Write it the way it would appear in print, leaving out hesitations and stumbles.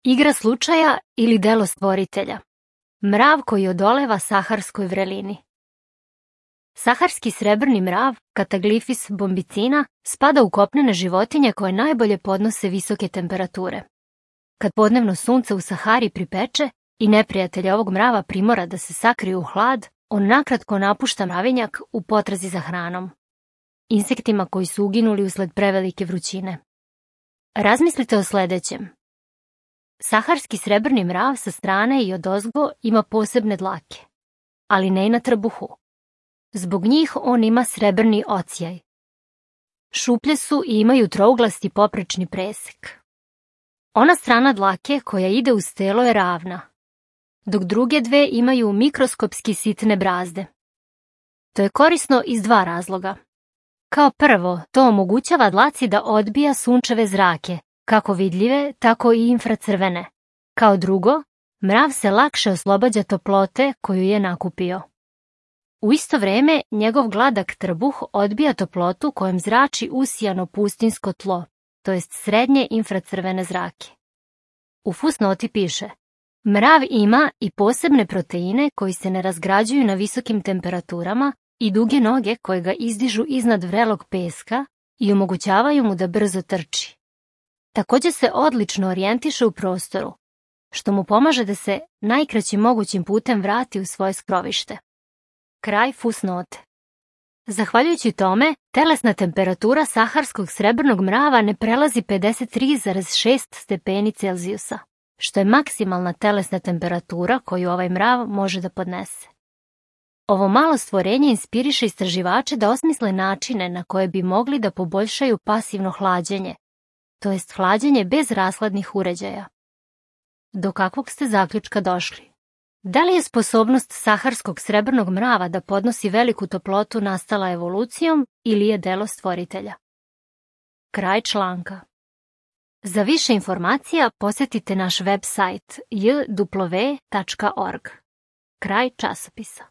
Igra slučaja ili delo stvoritelja. Mrav koji odoleva saharskoj vrelini. Saharski srebrni mrav, Cataglyphis bombicina, spada u kopnene životinje koje najbolje podnose visoke temperature. Kad podnevno sunce u Sahari pripeče i neprijatelj ovog mrava primora da se sakrije u hlad, on nakratko napušta mravinjak u potrazi za hranom. Insektima koji su uginuli usled prevelike vrućine. Razmislite o sledećem. Saharski srebrni mrav sa strane i odozgo ima posebne dlake, ali ne i na trbuhu. Zbog njih on ima srebrni ocijaj. Šuplje su i imaju trouglasti poprečni presek. Ona strana dlake koja ide uz telo je ravna, dok druge dve imaju mikroskopski sitne brazde. To je korisno iz dva razloga. Kao prvo, to omogućava dlaci da odbija sunčeve zrake, kako vidljive, tako i infracrvene. Kao drugo, mrav se lakše oslobađa toplote koju je nakupio. U isto vreme, njegov gladak trbuh odbija toplotu kojom zrači usijano pustinjsko tlo, to jest srednje infracrvene zrake. U fusnoti piše: mrav ima i posebne proteine koji se ne razgrađuju na visokim temperaturama i duge noge koje ga izdižu iznad vrelog peska i omogućavaju mu da brzo trči. Također se odlično orijentiše u prostoru, što mu pomaže da se najkraćim mogućim putem vrati u svoje skrovište. Kraj fusnote. Zahvaljujući tome, telesna temperatura saharskog srebrnog mrava ne prelazi 53,6 stepeni Celzijusa, što je maksimalna telesna temperatura koju ovaj mrav može da podnese. Ovo malo stvorenje inspiriše istraživače da osmisle načine na koje bi mogli da poboljšaju pasivno hlađenje, to jest hlađenje bez rashladnih uređaja. Do kakvog ste zaključka došli? Da li je sposobnost saharskog srebrnog mrava da podnosi veliku toplotu nastala evolucijom ili je delo stvoritelja? Kraj članka. Za više informacija posjetite naš web sajt jw.org. Kraj časopisa.